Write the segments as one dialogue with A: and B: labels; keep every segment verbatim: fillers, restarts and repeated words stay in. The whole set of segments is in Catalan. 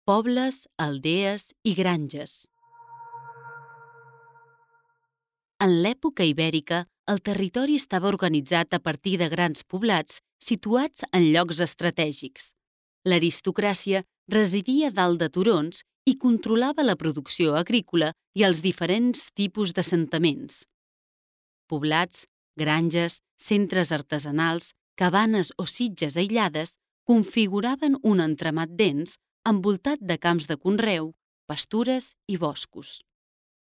A: pobles, aldees i granges. En l'època ibèrica, el territori estava organitzat a partir de grans poblats situats en llocs estratègics. L'aristocràcia residia dalt de turons i controlava la producció agrícola i els diferents tipus d'assentaments. Poblats, granges, centres artesanals, cabanes o sitges aïllades configuraven un entramat dens envoltat de camps de conreu, pastures i boscos.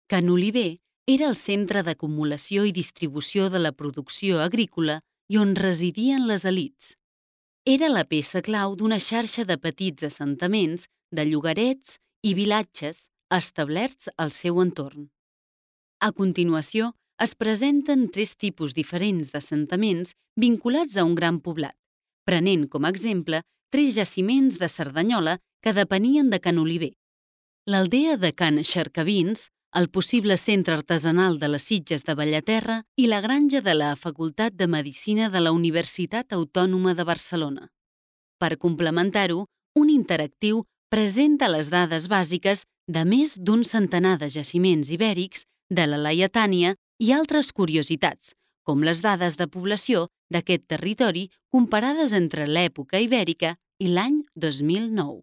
A: Can Oliver era el centre d'acumulació i distribució de la producció agrícola i on residien les elits. Era la peça clau d'una xarxa de petits assentaments, de llogarets i vilatges establerts al seu entorn. A continuació, es presenten tres tipus diferents d'assentaments vinculats a un gran poblat, prenent com a exemple tres jaciments de Cerdanyola que depenien de Can Oliver. L'aldea de Can Xercavins, el possible centre artesanal de les Sitges de Bellaterra i la granja de la Facultat de Medicina de la Universitat Autònoma de Barcelona. Per complementar-ho, un interactiu presenta les dades bàsiques de més d'un centenar de jaciments ibèrics, de la Laietània i altres curiositats, com les dades de població d'aquest territori comparades entre l'època ibèrica i l'any dos mil nou.